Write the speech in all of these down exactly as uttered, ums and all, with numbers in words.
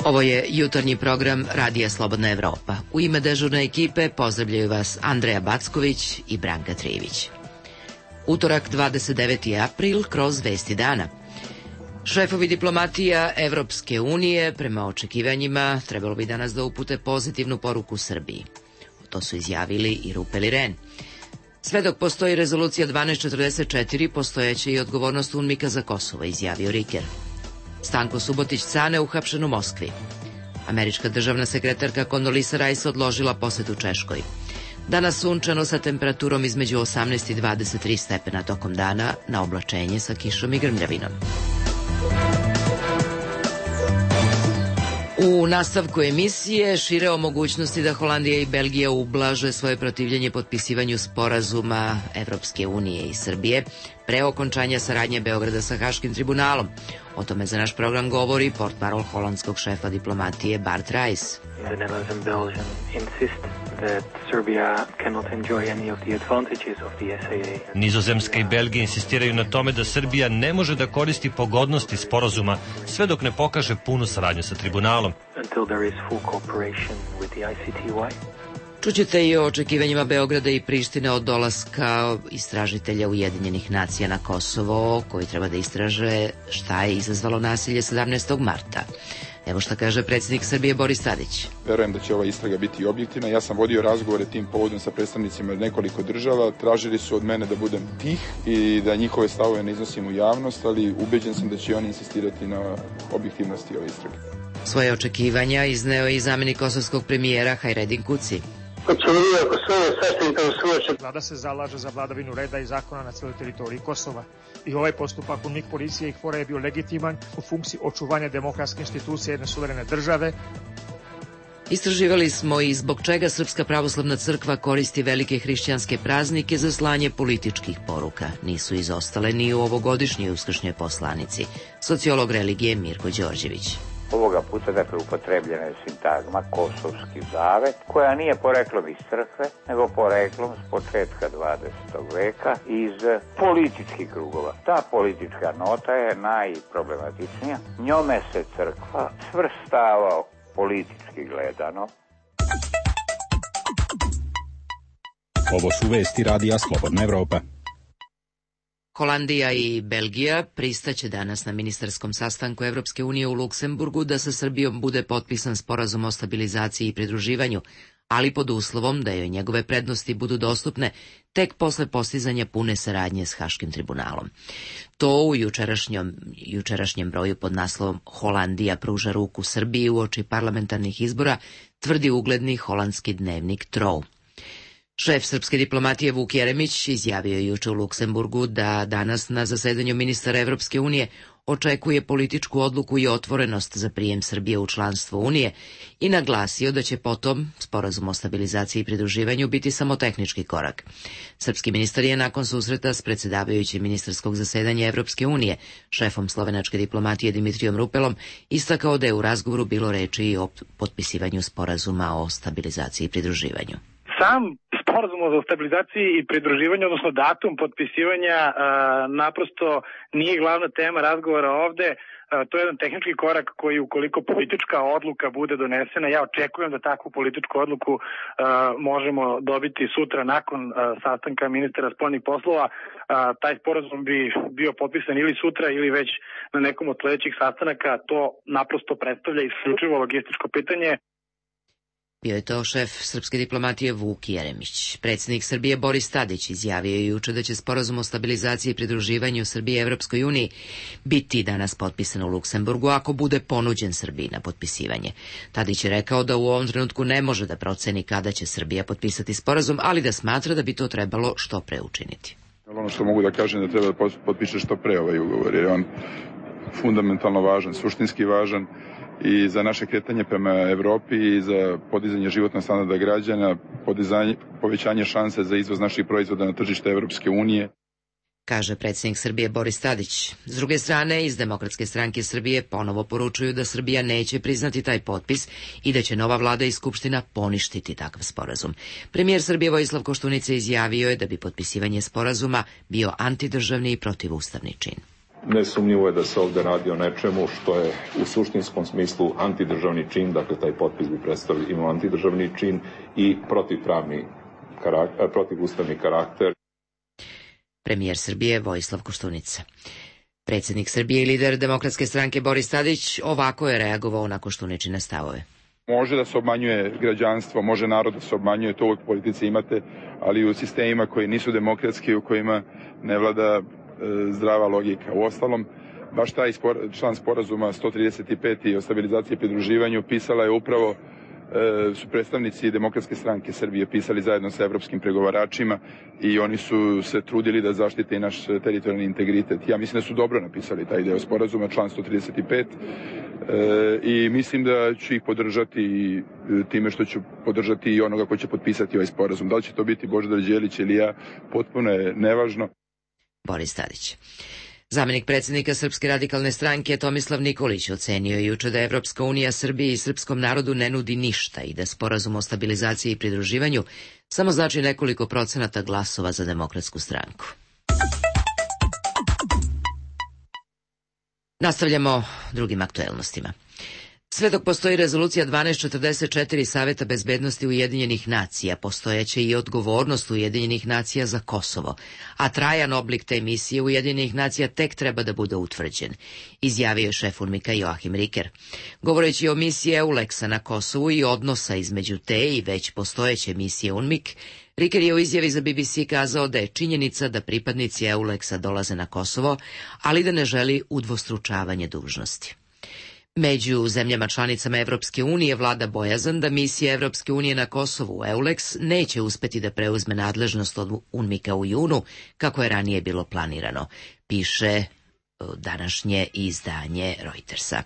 Ovo je jutarnji program Radija Slobodna Evropa. U ime dežurne ekipe pozdravljaju vas Andreja Backović i Branka Trivić. Utorak, dvadeset deveti april, kroz Vesti dana. Šefovi diplomatija Evropske unije, prema očekivanjima, trebalo bi danas da upute pozitivnu poruku Srbiji. To su izjavili i Rupe i Ren. Sve dok postoji rezolucija dvanaest četrdeset četiri, postojeće i odgovornost UNMIK-a za Kosovo, izjavio Riker. Stanko Subotić-Cane uhapšen u Moskvi. Američka državna sekretarka Kondolisa Rice odložila posetu Češkoj. Danas sunčano sa temperaturom između osamnaest i dvadeset tri stepena tokom dana, na oblačenje sa kišom i grmljavinom. U nastavku emisije šire o mogućnosti da Holandija i Belgija ublaže svoje protivljenje potpisivanju sporazuma Evropske unije i Srbije pre okončanja saradnje Beograda sa Haškim tribunalom. O tome za naš program govori portparol holandskog šefa diplomatije Bart Rice. The Netherlands and Belgium insist that Serbia cannot enjoy any of the advantages of the S A A. Nizozemska i Belgija insistiraju na tome da Srbija ne može da koristi pogodnosti sporazuma sve dok ne pokaže punu saradnju sa tribunalom. Until there is full cooperation with the I C T Y. Čućete i o očekivanjima Beograda i Prištine od dolaska istražitelja Ujedinjenih nacija na Kosovo, koji treba da istraže šta je izazvalo nasilje sedamnaestog marta. Evo šta kaže predsjednik Srbije Boris Tadić. Verujem da će ova istraga biti objektivna. Ja sam vodio razgovore tim povodom sa predstavnicima nekoliko država. Tražili su od mene da budem tih i da njihove stavove ne iznosim u javnost, ali ubeđen sam da će oni insistirati na objektivnosti ove istrage. Svoje očekivanja izneo i zamjenik kosovskog premijera Hajredin Kuci. Vlada se zalaže za vladavinu reda i zakona na cijeloj teritoriji Kosova. I ovaj postupak UNMIK policije i KFOR-a je bio legitiman u funkciji očuvanja demokratske institucije jedne suverene države. Istraživali smo i zbog čega Srpska pravoslavna crkva koristi velike hrišćanske praznike za slanje političkih poruka. Nisu izostale ni u ovogodišnjoj uskršnjoj poslanici. Sociolog religije Mirko Đorđević. Ovoga puta, dakle, upotrebljena je sintagma Kosovski zavet, koja nije poreklom iz crkve, nego poreklom s početka dvadesetog veka iz političkih krugova. Ta politička nota je najproblematičnija. Njome se crkva svrstava politički gledano. Ovo su vesti Radija Slobodna Evropa. Holandija i Belgija pristaće danas na ministarskom sastanku Evropske unije u Luksemburgu da sa Srbijom bude potpisan sporazum o stabilizaciji i pridruživanju, ali pod uslovom da joj njegove prednosti budu dostupne tek posle postizanja pune saradnje s Haškim tribunalom. To u jučerašnjem, jučerašnjem broju pod naslovom Holandija pruža ruku Srbiji uoči parlamentarnih izbora tvrdi ugledni holandski dnevnik Trouw. Šef srpske diplomatije Vuk Jeremić izjavio je juče u Luksemburgu da danas na zasedanju ministara Evropske unije očekuje političku odluku i otvorenost za prijem Srbije u članstvo Unije i naglasio da će potom sporazum o stabilizaciji i pridruživanju biti samo tehnički korak. Srpski ministar je nakon susreta s predsjedavajućim ministarskog zasedanja Evropske unije, šefom slovenačke diplomatije Dimitrijom Rupelom, istakao da je u razgovoru bilo reči i o potpisivanju sporazuma o stabilizaciji i pridruživanju. Sam sporazum o stabilizaciji i pridruživanju, odnosno datum potpisivanja, a, naprosto nije glavna tema razgovora ovde. A, to je jedan tehnički korak koji, ukoliko politička odluka bude donesena, ja očekujem da takvu političku odluku a, možemo dobiti sutra nakon a, sastanka ministara spoljnih poslova. A, taj sporazum bi bio potpisan ili sutra ili već na nekom od sledećih sastanaka. To naprosto predstavlja isključivo logističko pitanje. Bio je to šef srpske diplomatije Vuk Jeremić. Predsjednik Srbije Boris Tadić izjavio je juče da će sporazum o stabilizaciji i pridruživanju Srbije Evropskoj uniji biti danas potpisan u Luksemburgu ako bude ponuđen Srbiji na potpisivanje. Tadić je rekao da u ovom trenutku ne može da proceni kada će Srbija potpisati sporazum, ali da smatra da bi to trebalo što pre učiniti. Ono što mogu da kažem da treba da potpiše što pre ovaj ugovor, jer je on fundamentalno važan, suštinski važan i za naše kretanje prema Evropi i za podizanje životnog standarda građana, podizanje, povećanje šanse za izvoz naših proizvoda na tržište Evropske unije. Kaže predsjednik Srbije Boris Tadić. S druge strane, iz Demokratske stranke Srbije ponovo poručuju da Srbija neće priznati taj potpis i da će nova vlada i skupština poništiti takav sporazum. Premijer Srbije Vojislav Koštunica izjavio je da bi potpisivanje sporazuma bio antidržavni i protivustavni čin. Nesumnjivo je da se ovde radi o nečemu što je u suštinskom smislu antidržavni čin, dakle taj potpis bi predstavio imao antidržavni čin i protivpravni karakter, protivustavni karakter. Premijer Srbije Vojislav Koštunica. Predsjednik Srbije i lider Demokratske stranke Boris Tadić ovako je reagovao na Koštuničine stavove. Može da se obmanjuje građanstvo, može narod da se obmanjuje, to uvijek u politici imate, ali u sistemima koji nisu demokratski, u kojima ne vlada e, zdrava logika. U ostalom, baš taj spor, član sporazuma sto trideset pet o stabilizaciji i pridruživanju pisala je upravo e, su predstavnici Demokratske stranke Srbije pisali zajedno sa evropskim pregovaračima i oni su se trudili da zaštite i naš teritorijalni integritet. Ja mislim da su dobro napisali taj deo sporazuma, član sto trideset pet, e, i mislim da ću ih podržati time što ću podržati i onoga ko će potpisati ovaj sporazum. Da li će to biti Božidar Đelić ili ja, potpuno je nevažno. Boris Tadić. Zamenik predsjednika Srpske radikalne stranke Tomislav Nikolić ocenio je juče da Evropska unija Srbiji i srpskom narodu ne nudi ništa i da sporazum o stabilizaciji i pridruživanju samo znači nekoliko procenata glasova za Demokratsku stranku. Nastavljamo drugim aktuelnostima. Sve dok postoji rezolucija dvanaest četrdeset četiri Saveta bezbednosti Ujedinjenih nacija, postojeće i odgovornost Ujedinjenih nacija za Kosovo, a trajan oblik te misije Ujedinjenih nacija tek treba da bude utvrđen, izjavio je šef UNMIK-a Joachim Riker. Govoreći o misiji EULEX-a na Kosovu i odnosa između te i već postojeće misije UNMIK, Riker je u izjavi za B B C kazao da je činjenica da pripadnici EULEX-a dolaze na Kosovo, ali da ne želi udvostručavanje dužnosti. Među zemljama članicama Evropske unije vlada bojazan da misija Evropske unije na Kosovu EULEX neće uspeti da preuzme nadležnost od UNMIK-a u junu, kako je ranije bilo planirano, piše današnje izdanje Reutersa.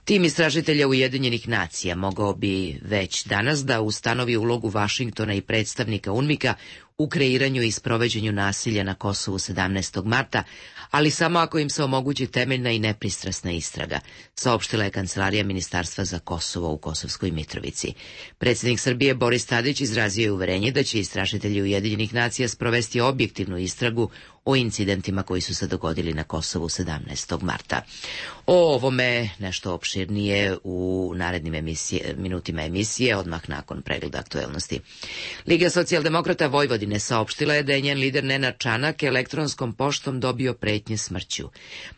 Tim istražitelja Ujedinjenih nacija mogao bi već danas da ustanovi ulogu Vašingtona i predstavnika UNMIK-a u kreiranju i sproveđenju nasilja na Kosovu sedamnaestog marta, ali samo ako im se omogući temeljna i nepristrasna istraga, saopštila je Kancelarija Ministarstva za Kosovo u Kosovskoj Mitrovici. Predsjednik Srbije Boris Tadić izrazio je uverenje da će istražitelji Ujedinjenih nacija sprovesti objektivnu istragu o incidentima koji su se dogodili na Kosovu sedamnaestog marta. O ovome nešto opširnije u narednim emisije, minutima emisije, odmah nakon pregleda aktuelnosti. Liga socijaldemokrata Vojvodine saopštila je da je njen lider Nenad Čanak elektronskom poštom dobio pretnje smrću.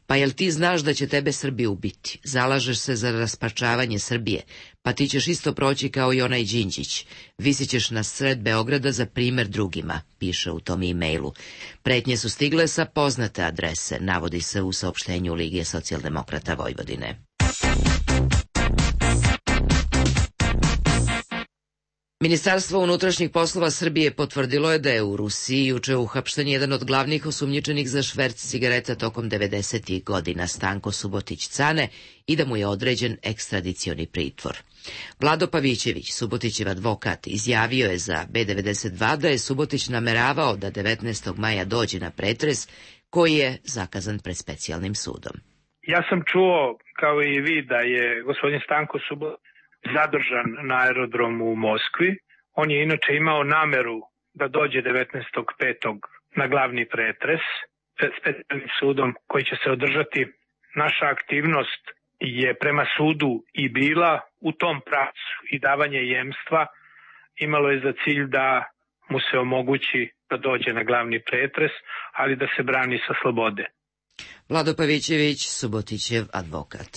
Pa jel ti znaš da će tebe Srbi ubiti? Zalažeš se za rasparčavanje Srbije, pa ti ćeš isto proći kao i onaj Đinđić. Visit ćeš na sred Beograda za primer drugima, piše u tom e-mailu. Pretnje su stigle sa poznate adrese, navodi se u saopštenju Lige socijaldemokrata Vojvodine. Ministarstvo unutrašnjih poslova Srbije potvrdilo je da je u Rusiji juče uhapšten jedan od glavnih osumnjičenih za šverc cigareta tokom devedesetih godina, Stanko Subotić Cane, i da mu je određen ekstradicioni pritvor. Vlado Pavićević, Subotićev advokat, izjavio je za B devedeset dva da je Subotić nameravao da devetnaestog maja dođe na pretres koji je zakazan pred specijalnim sudom. Ja sam čuo, kao i vi, da je gospodin Stanko Subotić zadržan na aerodromu u Moskvi. On je inače imao nameru da dođe devetnaestog petog na glavni pretres pred specijalnim sudom koji će se održati. Naša aktivnost je prema sudu i bila u tom pravcu i davanje jemstva imalo je za cilj da mu se omogući da dođe na glavni pretres, ali da se brani sa slobode. Vlado Pavićević, Subotićev advokat.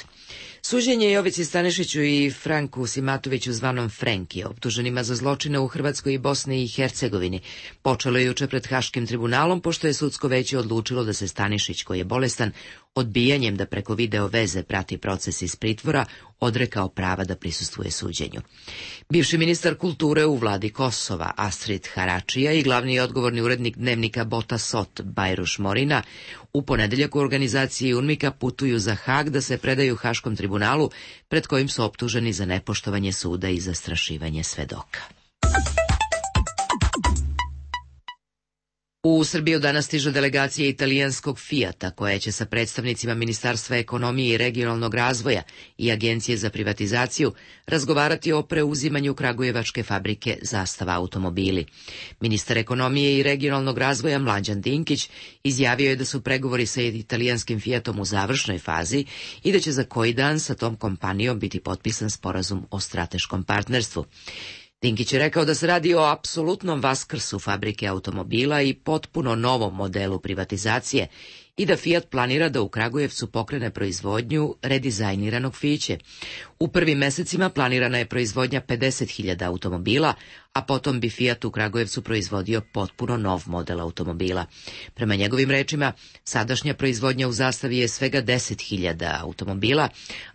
Suđenje Jovici Stanišiću i Franku Simatoviću zvanom Frenki, optuženima za zločine u Hrvatskoj i Bosni i Hercegovini, počelo je juče pred Haškim tribunalom, pošto je sudsko veće odlučilo da se Stanišić, koji je bolestan, odbijanjem da preko video veze prati proces iz pritvora, odrekao prava da prisustvuje suđenju. Bivši ministar kulture u vladi Kosova, Astrid Haračija, i glavni odgovorni urednik dnevnika Bota Sot, Bajruš Morina, u ponedeljak u organizaciji UNMIK-a putuju za Hag da se predaju Haškom tribunalu, pred kojim su optuženi za nepoštovanje suda i zastrašivanje svedoka. U Srbiju danas stiže delegacija italijanskog Fijata, koja će sa predstavnicima Ministarstva ekonomije i regionalnog razvoja i Agencije za privatizaciju razgovarati o preuzimanju kragujevačke fabrike Zastava automobili. Ministar ekonomije i regionalnog razvoja Mlađan Dinkić izjavio je da su pregovori sa italijanskim Fijatom u završnoj fazi i da će za koji dan sa tom kompanijom biti potpisan sporazum o strateškom partnerstvu. Dinkić je rekao da se radi o apsolutnom vaskrsu fabrike automobila i potpuno novom modelu privatizacije i da Fiat planira da u Kragujevcu pokrene proizvodnju redizajniranog Fiće. U prvim mesecima planirana je proizvodnja pedeset hiljada automobila, a potom bi Fiat u Kragujevcu proizvodio potpuno nov model automobila. Prema njegovim rečima, sadašnja proizvodnja u Zastavi je svega deset hiljada automobila,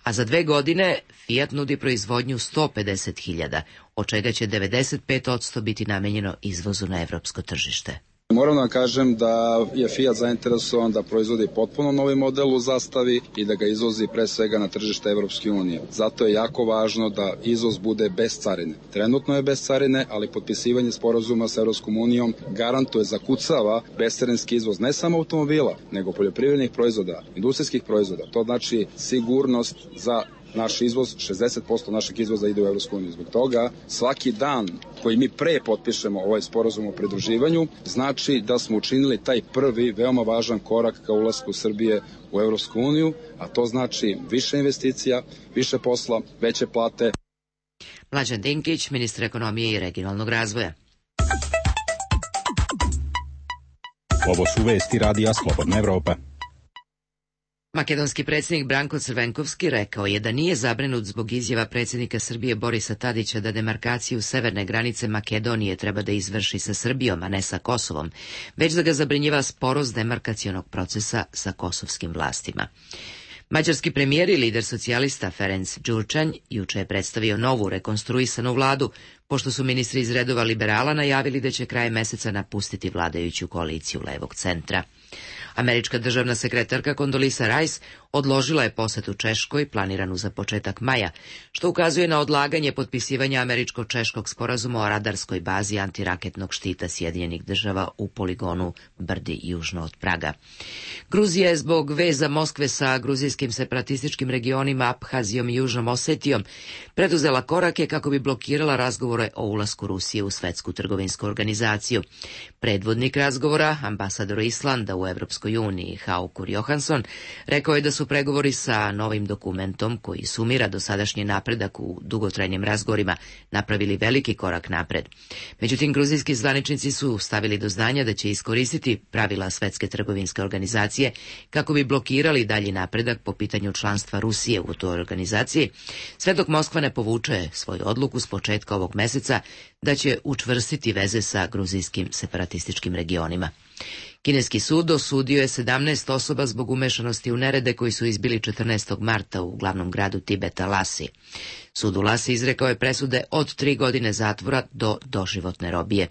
a za dve godine Fiat nudi proizvodnju sto pedeset hiljada, od čega će devedeset pet posto biti namenjeno izvozu na evropsko tržište. Moram da vam kažem da je Fiat zainteresovan da proizvodi potpuno novi model u Zastavi i da ga izvozi pre svega na tržište Evropske unije. Zato je jako važno da izvoz bude bez carine. Trenutno je bez carine, ali potpisivanje sporazuma sa Evropskom unijom garantuje, zakucava bescarinski izvoz ne samo automobila, nego poljoprivrednih proizvoda, industrijskih proizvoda. To znači sigurnost za naš izvoz, šezdeset posto našeg izvoza ide u Evropsku uniju. Zbog toga svaki dan koji mi pre potpišemo ovaj sporazum o pridruživanju znači da smo učinili taj prvi veoma važan korak ka ulasku Srbije u Evropsku uniju, a to znači više investicija, više posla, veće plate. Mlađan Dinkić, ministar ekonomije i regionalnog razvoja. Ovo su vesti Radija Slobodna Evropa. Makedonski predsjednik Branko Crvenkovski rekao je da nije zabrinut zbog izjava predsjednika Srbije Borisa Tadića da demarkaciju severne granice Makedonije treba da izvrši sa Srbijom, a ne sa Kosovom, već da ga zabrinjava sporost demarkacionog procesa sa kosovskim vlastima. Mađarski premijer i lider socijalista Ferenc Đurčanj juče je predstavio novu rekonstruisanu vladu, pošto su ministri iz redova liberala najavili da će krajem meseca napustiti vladajuću koaliciju levog centra. Američka državna sekretarka Condoleezza Rice odložila je posetu Češkoj, planiranu za početak maja, što ukazuje na odlaganje potpisivanja američko-češkog sporazuma o radarskoj bazi antiraketnog štita Sjedinjenih država u poligonu Brdi južno od Praga. Gruzija je zbog veza Moskve sa gruzijskim separatističkim regionima Abhazijom i Južnom Osetijom preduzela korake kako bi blokirala razgovore o ulasku Rusije u Svetsku trgovinsku organizaciju. Predvodnik razgovora, ambasador Islanda u Evropskoj uniji Haukur Johansson, rekao je da su pregovori sa novim dokumentom, koji sumira dosadašnji napredak u dugotrajnim razgovorima, napravili veliki korak napred. Međutim, gruzijski zvaničnici su stavili do znanja da će iskoristiti pravila Svetske trgovinske organizacije kako bi blokirali dalji napredak po pitanju članstva Rusije u toj organizaciji, sve dok Moskva ne povuče svoju odluku s početka ovog meseca da će učvrstiti veze sa gruzijskim separatističkim regionima. Kineski sud osudio je sedamnaest osoba zbog umešanosti u nerede koji su izbili četrnaestog marta u glavnom gradu Tibeta Lasi. Sud u Lasi izrekao je presude od tri godine zatvora do doživotne robije.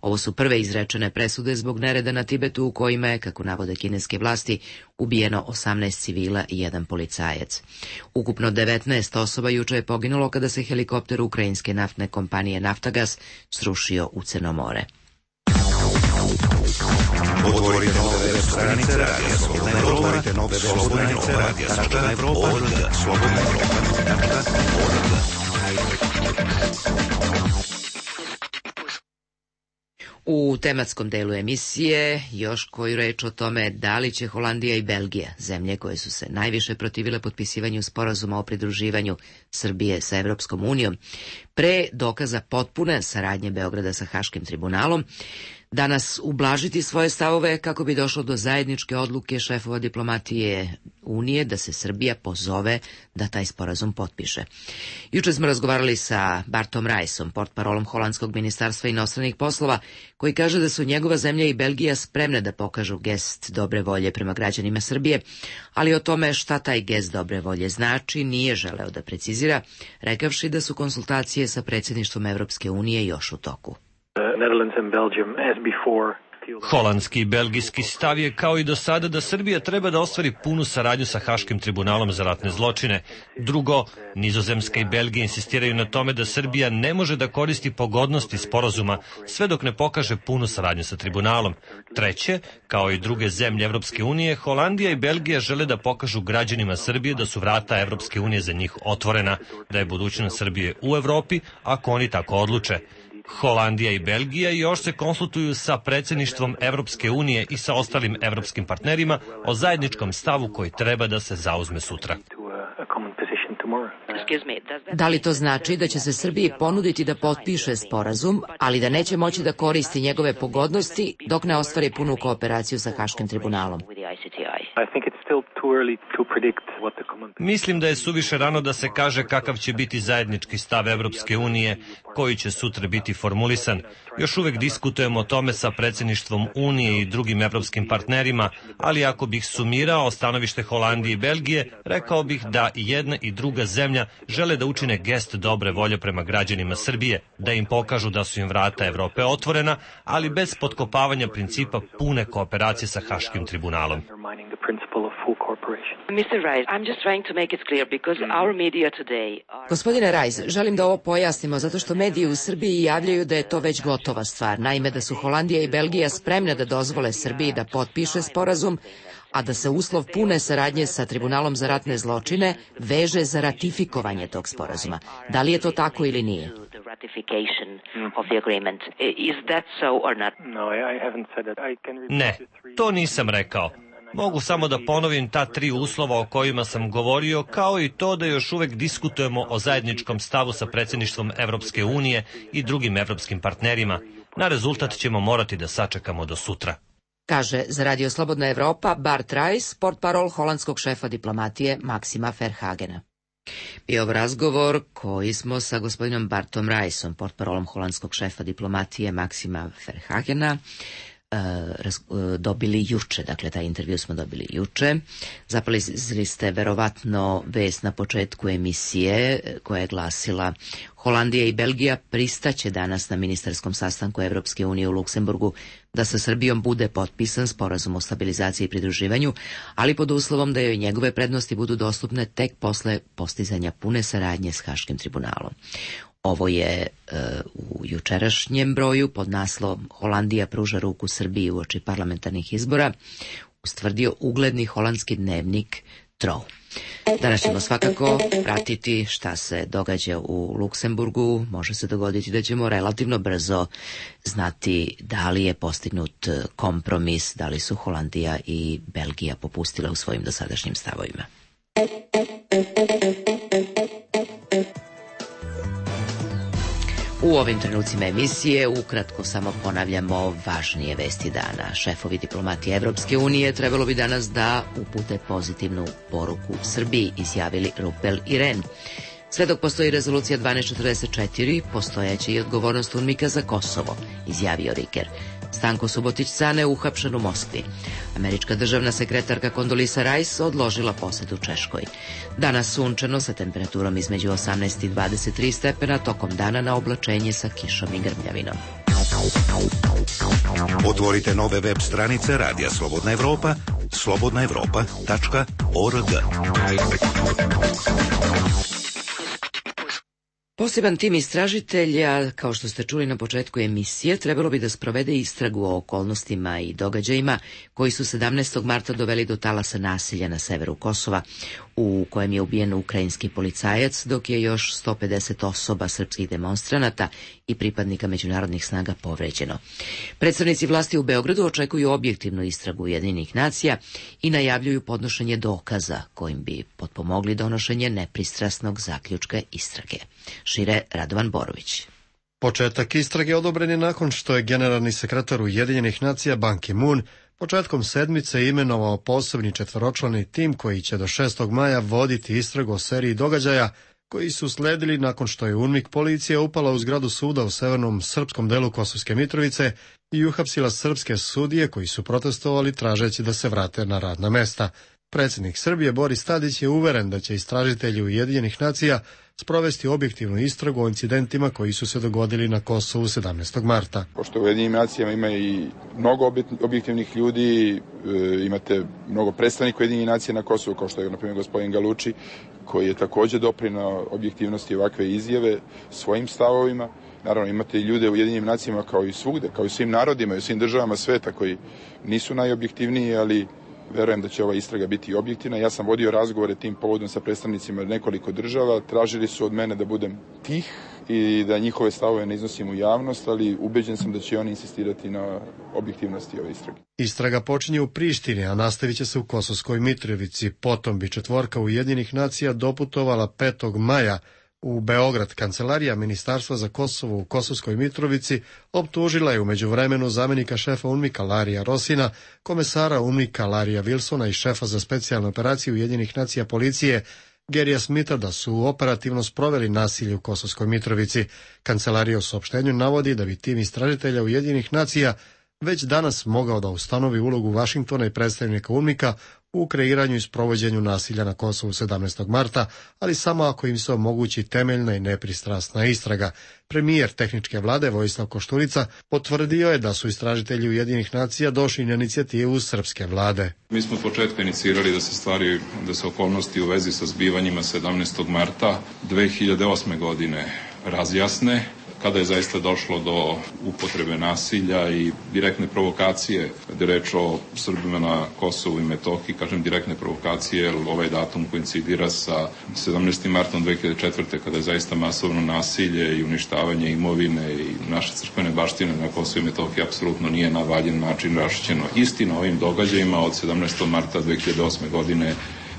Ovo su prve izrečene presude zbog nereda na Tibetu u kojima je, kako navode kineske vlasti, ubijeno osamnaest civila i jedan policajac. Ukupno devetnaest osoba juče je poginulo kada se helikopter ukrajinske naftne kompanije Naftagas srušio u Crno more. Otvorite nove web stranice Radija Slobodna Evropa, otvorite nove web stranice Radija Slobodna Evropa, slobodna Evropa. U tematskom delu emisije još koju reč o tome da li će Holandija i Belgija, zemlje koje su se najviše protivile potpisivanju sporazuma o pridruživanju Srbije sa Evropskom unijom, pre dokaza potpune saradnje Beograda sa Haškim tribunalom, danas ublažiti svoje stavove kako bi došlo do zajedničke odluke šefova diplomatije Unije da se Srbija pozove da taj sporazum potpiše. Juče smo razgovarali sa Bartom Rajsom, portparolom Holandskog ministarstva inostranih poslova, koji kaže da su njegova zemlja i Belgija spremne da pokažu gest dobre volje prema građanima Srbije, ali o tome šta taj gest dobre volje znači nije želeo da precizira, rekavši da su konsultacije sa predsjedništvom Evropske unije još u toku. The Netherlands and Belgium, as before, Holandski i belgijski stav je kao i do sada da Srbija treba da ostvari punu saradnju sa Haškim tribunalom za ratne zločine. Drugo, Nizozemska i Belgija insistiraju na tome da Srbija ne može da koristi pogodnosti sporazuma sve dok ne pokaže punu saradnju sa tribunalom. Treće, kao i druge zemlje Evropske unije, Holandija i Belgija žele da pokažu građanima Srbije da su vrata Evropske unije za njih otvorena, da je budućnost Srbije u Evropi ako oni tako odluče. Holandija i Belgija još se konsultuju sa predsjedništvom Evropske unije i sa ostalim evropskim partnerima o zajedničkom stavu koji treba da se zauzme sutra. Da li to znači da će se Srbiji ponuditi da potpiše sporazum, ali da neće moći da koristi njegove pogodnosti dok ne ostvari punu kooperaciju sa Haškim tribunalom? Mislim da je suviše rano da se kaže kakav će biti zajednički stav Evropske unije, koji će sutra biti formulisan. Još uvek diskutujemo o tome sa predsjedništvom Unije i drugim evropskim partnerima, ali ako bih sumirao stanovište Holandije i Belgije, rekao bih da i jedna i druga zemlja žele da učine gest dobre volje prema građanima Srbije, da im pokažu da su im vrata Evrope otvorena, ali bez potkopavanja principa pune kooperacije sa Haškim tribunalom. Gospodine Rajs, želim da ovo pojasnimo zato što mediji u Srbiji javljaju da je to već gotova stvar. Naime, da su Holandija i Belgija spremne da dozvole Srbiji da potpiše sporazum, a da se uslov pune saradnje sa Tribunalom za ratne zločine veže za ratifikovanje tog sporazuma. Da li je to tako ili nije? Ne, to nisam rekao. Mogu samo da ponovim ta tri uslova o kojima sam govorio, kao i to da još uvek diskutujemo o zajedničkom stavu sa predsjedništvom Evropske unije i drugim evropskim partnerima. Na rezultat ćemo morati da sačekamo do sutra. Kaže za Radio Slobodna Evropa Bart Rajs, portparol holandskog šefa diplomatije Maksima Verhagena. Bio ovo razgovor koji smo sa gospodinom Bartom Rajsom, portparolom holandskog šefa diplomatije Maksima Verhagena, dobili juče, dakle taj intervju smo dobili juče. Zapalizili ste verovatno vest na početku emisije koja je glasila: Holandija i Belgija pristaće danas na ministarskom sastanku Evropske unije u Luksemburgu da sa Srbijom bude potpisan sporazum o stabilizaciji i pridruživanju, ali pod uslovom da joj njegove prednosti budu dostupne tek posle postizanja pune saradnje s Haškim tribunalom. Ovo je e, u jučerašnjem broju pod naslovom Holandija pruža ruku Srbiji uoči parlamentarnih izbora ustvrdio ugledni holandski dnevnik Trouw. Danas ćemo svakako pratiti šta se događa u Luksemburgu. Može se dogoditi da ćemo relativno brzo znati da li je postignut kompromis, da li su Holandija i Belgija popustile u svojim dosadašnjim stavovima. U ovim trenucima emisije ukratko samo ponavljamo važnije vesti dana. Šefovi diplomatije Evropske unije trebalo bi danas da upute pozitivnu poruku Srbiji, izjavili Rupel i Rehn. Sve dok postoji rezolucija dvanaest četrdeset četiri, postojeće i odgovornost UNMIK-a za Kosovo, izjavio Riker. Stanko Subotić-Cane uhapšen u Moskvi. Američka državna sekretarka Kondolisa Rice odložila posetu Češkoj. Danas sunčano sa temperaturom između osamnaest i dvadeset tri stepena, tokom dana na oblačenje sa kišom i grmljavinom. Otvorite nove web stranice Radija Slobodna Evropa, slobodna evropa tačka org. Poseban tim istražitelja, kao što ste čuli na početku emisije, trebalo bi da sprovede istragu o okolnostima i događajima koji su sedamnaestog marta doveli do talasa nasilja na severu Kosova, u kojem je ubijen ukrajinski policajac, dok je još sto pedeset osoba srpskih demonstranata i pripadnika međunarodnih snaga povređeno. Predstavnici vlasti u Beogradu očekuju objektivnu istragu Ujedinjenih nacija i najavljuju podnošenje dokaza kojim bi potpomogli donošenje nepristrasnog zaključka istrage. Šire Radovan Borović. Početak istrage odobren je nakon što je generalni sekretar Ujedinjenih nacija Ban Ki-moon početkom sedmice imenovao posebni četvoročlani tim koji će do šestog maja voditi istragu o seriji događaja koji su sledili nakon što je UNMIK policija upala u zgradu suda u severnom srpskom delu Kosovske Mitrovice i uhapsila srpske sudije koji su protestovali tražeći da se vrate na radna mesta. Predsjednik Srbije Boris Tadić je uveren da će istražitelji Ujedinjenih nacija sprovesti objektivnu istragu o incidentima koji su se dogodili na Kosovu sedamnaestog marta. Pošto u Ujedinjenim nacijama ima i mnogo objektivnih ljudi, imate mnogo predstavnika Ujedinjenih nacija na Kosovu, kao što je na primjer gospodin Galuči, koji je takođe doprinao objektivnosti ovakve izjave svojim stavovima. Naravno, imate i ljude u Ujedinjenim nacijama kao i svugde, kao i svim narodima i u svim državama sveta koji nisu najobjektivniji, ali verujem da će ova istraga biti objektivna. Ja sam vodio razgovore tim povodom sa predstavnicima nekoliko država. Tražili su od mene da budem tih i da njihove stavove ne iznosim u javnost, ali ubeđen sam da će oni insistirati na objektivnosti ove istrage. Istraga počinje u Prištini, a nastavit će se u Kosovskoj Mitrovici. Potom bi četvorka Ujedinjenih nacija doputovala petog maja u Beograd. Kancelarija Ministarstva za Kosovo u Kosovskoj Mitrovici optužila je u međuvremenu zamenika šefa UNMIK-a Larija Rosina, komesara UNMIK-a Larija Wilsona i šefa za specijalne operacije Ujedinjenih nacija policije Gerija Smitha da su operativno sproveli nasilje u Kosovskoj Mitrovici. Kancelarija u saopštenju navodi da bi tim istražitelja Ujedinjenih nacija već danas mogao da ustanovi ulogu Vašingtona i predstavnika UNMIK-a u kreiranju i sprovođenju nasilja na Kosovu sedamnaestog marta, ali samo ako im se omogući temeljna i nepristrasna istraga. Premijer tehničke vlade Vojislav Koštunica potvrdio je da su istražitelji Ujedinjenih nacija došli na inicijativu srpske vlade. Mi smo od početka inicirali da se stvari, da se okolnosti u vezi sa zbivanjima sedamnaestog marta dve hiljade osme godine razjasne, kada je zaista došlo do upotrebe nasilja i direktne provokacije, kada je reč o Srbima na Kosovu i Metohiji, kažem direktne provokacije, jer ovaj datum koincidira sa sedamnaestim martom dve hiljade četvrte. kada je zaista masovno nasilje i uništavanje imovine i naše crkvene baštine na Kosovu i Metohiji apsolutno nije na valjan način raščišćeno. Istina o ovim događajima od sedamnaestog marta dve hiljade osme. godine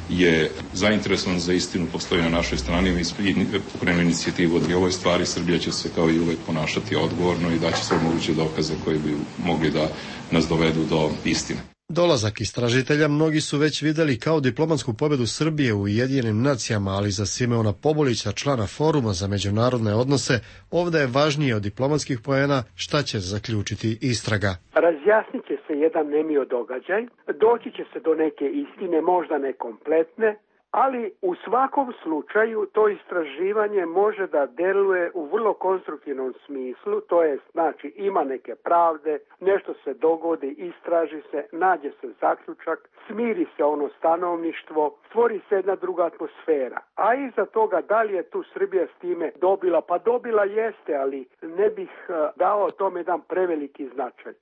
je zainteresovan za istinu, postoji na našoj strani, mi smo pokrenuli inicijativu od ovoj stvari. Srbija će se kao i uvek ponašati odgovorno i daće sve moguće dokaze koji bi mogli da nas dovedu do istine. Dolazak istražitelja mnogi su već videli kao diplomatsku pobedu Srbije u Ujedinjenim nacijama, ali za Simeona Pobulića, člana Foruma za međunarodne odnose, ovde je važnije od diplomatskih poena šta će zaključiti istraga. Razjasnit će se jedan nemio događaj, doći će se do neke istine, možda ne kompletne, ali u svakom slučaju to istraživanje može da deluje u vrlo konstruktivnom smislu, to je znači ima neke pravde, nešto se dogodi, istraži se, nađe se zaključak, smiri se ono stanovništvo, stvori se jedna druga atmosfera. A iza toga da li je tu Srbija s time dobila? Pa dobila jeste, ali ne bih dao tome jedan preveliki značaj.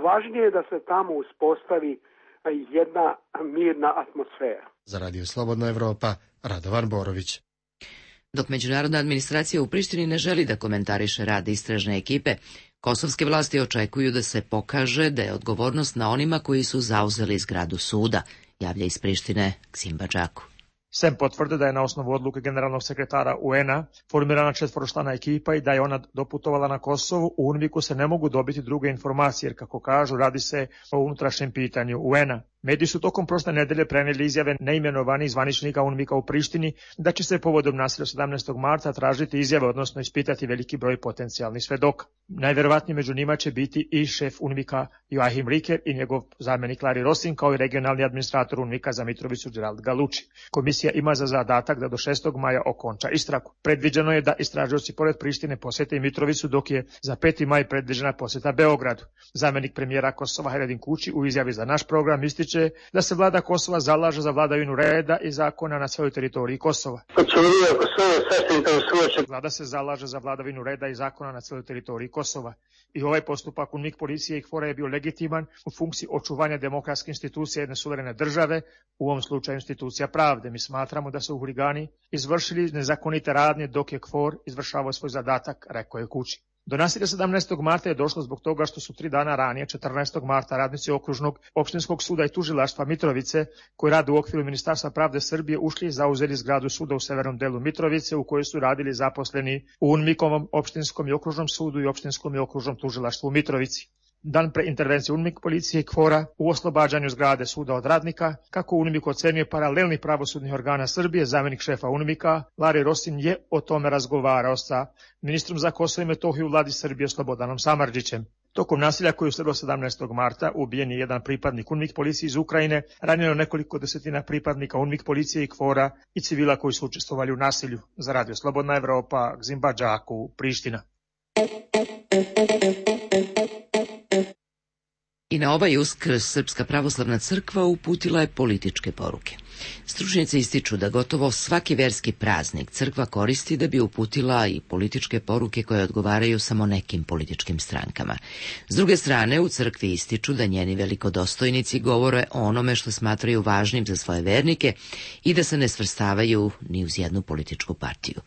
Važnije je da se tamo uspostavi jedna mirna atmosfera. Za Radio Slobodna Evropa, Radovan Borović. Dok međunarodna administracija u Prištini ne želi da komentariše rad istražne ekipe, kosovske vlasti očekuju da se pokaže da je odgovornost na onima koji su zauzeli zgradu suda, javlja iz Prištine Ksim Badžaku. Sem potvrde da je na osnovu odluke generalnog sekretara U N A formirana četvoročlana ekipa i da je ona doputovala na Kosovu, u UNMIK-u se ne mogu dobiti druge informacije, jer kako kažu, radi se o unutrašnjem pitanju U N A. Mediji su tokom prošle nedelje preneli izjave neimenovanih zvaničnika UNMIK-a u Prištini da će se povodom nasilja sedamnaestog marta tražiti izjave, odnosno ispitati veliki broj potencijalnih svedoka. Najverovatnije među njima će biti i šef UNMIK-a Joachim Riker i njegov zamjenik Lari Rosin, kao i regionalni administrator UNMIK-a za Mitrovicu Gerald Galuči. Komisija ima za zadatak da do šestog maja okonča istragu. Predviđeno je da istražioci pored Prištine posete i Mitrovicu, dok je za peti maj predviđena poseta Beogradu. Zamjenik premijera Kosova Haredin Kuči u izjavi za naš program ističe da se vlada Kosova zalaže za vladavinu reda i zakona na svojoj teritoriji Kosova. Vlada se zalaže za vladavinu reda i zakona na svojoj teritoriji Kosova. I ovaj postupak UNMIK policije i KFOR-a je bio legitiman u funkciji očuvanja demokratske institucije jedne suverene države, u ovom slučaju institucija pravde. Mi smatramo da su huligani izvršili nezakonite radnje dok je KFOR izvršavao svoj zadatak, rekao je Kuči. Do nasilja sedamnaestog marta je došlo zbog toga što su tri dana ranije, četrnaestog marta, radnici okružnog opštinskog suda i tužilaštva Mitrovice, koji rade u okviru Ministarstva pravde Srbije, ušli i zauzeli zgradu suda u severnom delu Mitrovice, u kojoj su radili zaposleni u UNMIK-ovom opštinskom i okružnom sudu i opštinskom i okružnom tužilaštvu u Mitrovici. Dan pre intervencije UNMIK policije i KFOR-a u oslobađanju zgrade suda od radnika, kako UNMIK ocenjuje paralelnih pravosudnih organa Srbije, zamjenik šefa UNMIK-a Lari Rosin je o tome razgovarao sa ministrom za Kosovo i Metohiju u vladi Srbije Slobodanom Samardžićem. Tokom nasilja koji je usledilo sedamnaestog marta ubijen je jedan pripadnik UNMIK policije iz Ukrajine, ranjeno nekoliko desetina pripadnika UNMIK policije i KFOR-a i civila koji su učestvovali u nasilju. Za Radio Slobodna Evropa, Gzimba Đaku, Priština. I na ovaj Uskrs Srpska pravoslavna crkva uputila je političke poruke. Stručnjaci ističu da gotovo svaki verski praznik crkva koristi da bi uputila i političke poruke koje odgovaraju samo nekim političkim strankama. S druge strane, u crkvi ističu da njeni velikodostojnici govore o onome što smatraju važnim za svoje vernike i da se ne svrstavaju ni uz jednu političku partiju.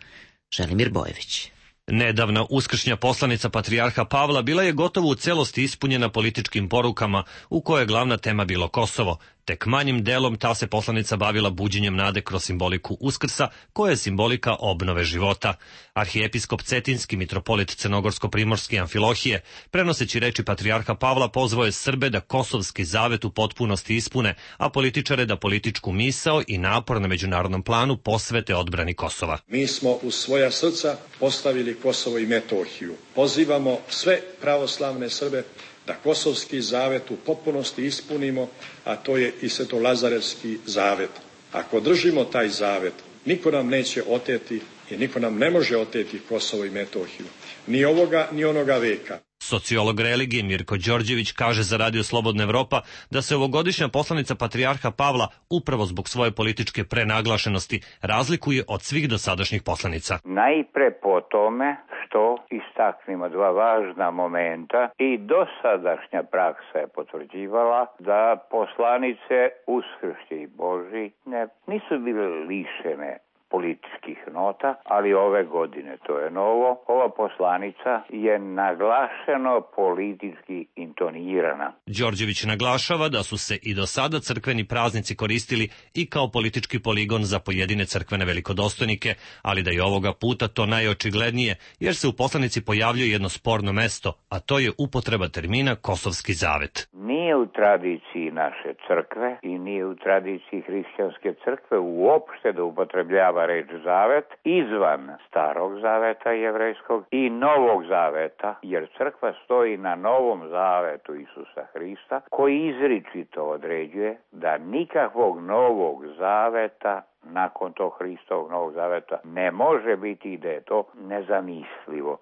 Želimir Bojević. Nedavna uskršnja poslanica patrijarha Pavla bila je gotovo u celosti ispunjena političkim porukama u kojoj je glavna tema bilo Kosovo. Tek manjim delom ta se poslanica bavila buđenjem nade kroz simboliku Uskrsa, koja je simbolika obnove života. Arhijepiskop Cetinski, mitropolit Crnogorsko-primorski Amfilohije, prenoseći reči patrijarha Pavla, pozvao je Srbe da kosovski zavet u potpunosti ispune, a političare da političku misao i napor na međunarodnom planu posvete odbrani Kosova. Mi smo u svoja srca postavili Kosovo i Metohiju. Pozivamo sve pravoslavne Srbe da kosovski zavet u potpunosti ispunimo, a to je i Svetolazarevski zavet. Ako držimo taj zavet, niko nam neće oteti i niko nam ne može oteti Kosovo i Metohiju. Ni ovoga, ni onoga veka. Sociolog religije Mirko Đorđević kaže za Radio Slobodna Evropa da se ovogodišnja poslanica patrijarha Pavla upravo zbog svoje političke prenaglašenosti razlikuje od svih dosadašnjih poslanica. Najpre po tome što istaknimo dva važna momenta i dosadašnja praksa je potvrđivala da poslanice Uskršnje i Božji ne, nisu bile lišene političkih nota, ali ove godine, to je novo, ova poslanica je naglašeno politički intonirana. Đorđević naglašava da su se i do sada crkveni praznici koristili i kao politički poligon za pojedine crkvene velikodostojnike, ali da je ovoga puta to najočiglednije, jer se u poslanici pojavljuje jedno sporno mesto, a to je upotreba termina Kosovski zavet. Nije u tradiciji naše crkve i nije u tradiciji hrišćanske crkve uopšte da upotrebljava reč zavet izvan starog zaveta jevrejskog i novog zaveta, jer crkva stoji na novom zavetu Isusa Hrista, koji izričito određuje da nikakvog novog zaveta nakon tog Hristovog novog zaveta ne može biti i da je to nezamislivo.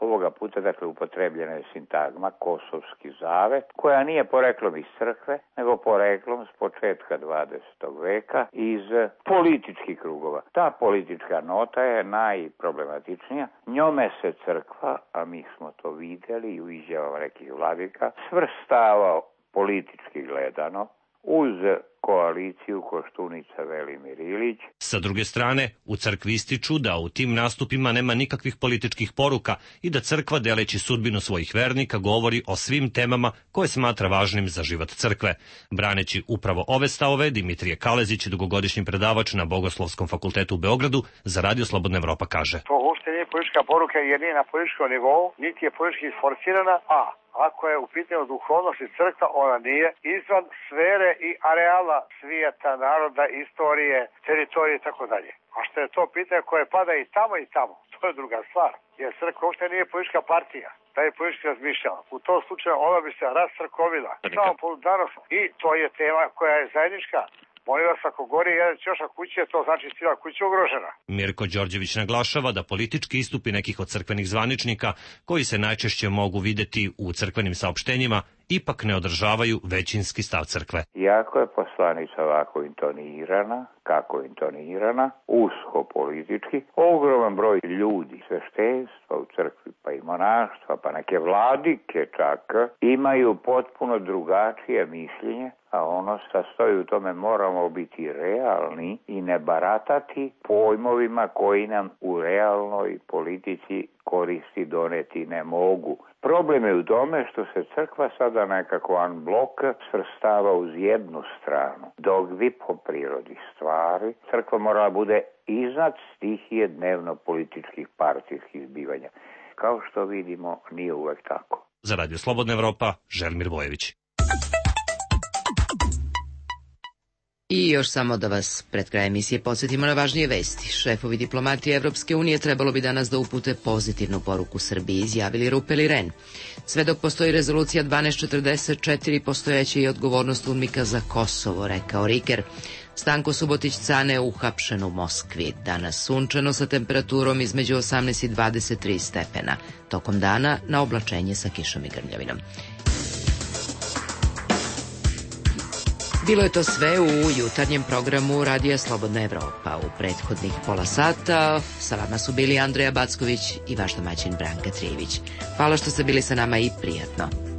Ovoga puta, dakle, upotrebljena je sintagma Kosovski zavet, koja nije poreklom iz crkve, nego poreklom s početka dvadesetog veka iz političkih krugova. Ta politička nota je najproblematičnija. Njome se crkva, a mi smo to vidjeli i u izjavama nekih vladika, svrstava politički gledano uz koaliciju Koštunica Velimir Ilić. Sa druge strane, u crkvi ističu da u tim nastupima nema nikakvih političkih poruka i da crkva, deleći sudbinu svojih vernika, govori o svim temama koje smatra važnim za život crkve. Braneći upravo ove stavove, Dimitrije Kalezić, dugogodišnji predavač na Bogoslovskom fakultetu u Beogradu, za Radio Slobodna Evropa kaže: To uopšte nije politička poruka jer nije na političkom nivou, niti je politički isforsirana, a ako je u pitanju duhovnosti crkva, ona nije izvan sfere i areala svijeta, naroda, istorije, teritorije i tako dalje. A što je to pitanje koje pada i tamo i tamo, to je druga stvar. Jer crkva uopšte nije politička partija, da je politički razmišljala. U tom slučaju ona bi se rascrkovila. Samo danas. I to je tema koja je zajednička. Molim vas, ako gori jedan ćošak kuće, to znači cijela kuća ugrožena. Mirko Đorđević naglašava da politički istupi nekih od crkvenih zvaničnika, koji se najčešće mogu videti u crkvenim saopštenjima, ipak ne održavaju većinski stav crkve. Iako je poslanica ovako intonirana, kako intonirana, usko politički, ogroman broj ljudi, sveštenstva u crkvi, pa i monaštva, pa neke vladike čak, imaju potpuno drugačije mišljenje, a ono sastoji u tome moramo biti realni i ne baratati pojmovima koji nam u realnoj politici koristi doneti ne mogu. Problem je u tome što se crkva sada nekako unblock svrstava uz jednu stranu, dok bi po prirodi stvari crkva morala bude iznad stihije dnevno-političkih partijskih zbivanja. Kao što vidimo, nije uvek tako. Za Radio Slobodna Evropa, Želimir Bojević. I još samo da vas pred kraj emisije podsjetimo na važnije vesti. Šefovi diplomatije Evropske unije trebalo bi danas da upute pozitivnu poruku Srbiji, izjavili Rupel i Ren. Sve dok postoji rezolucija dvanaest četrdeset četiri, postojeće i odgovornost UNMIK-a za Kosovo, rekao Riker. Stanko Subotić-Cane uhapšen u Moskvi. Danas sunčano sa temperaturom između osamnaest i dvadeset tri stepena. Tokom dana na oblačenje sa kišom i grmljavinom. Bilo je to sve u jutarnjem programu Radija Slobodna Evropa. U prethodnih pola sata sa vama su bili Andreja Backović i vaš domaćin Branka Trijević. Hvala što ste bili sa nama i prijatno.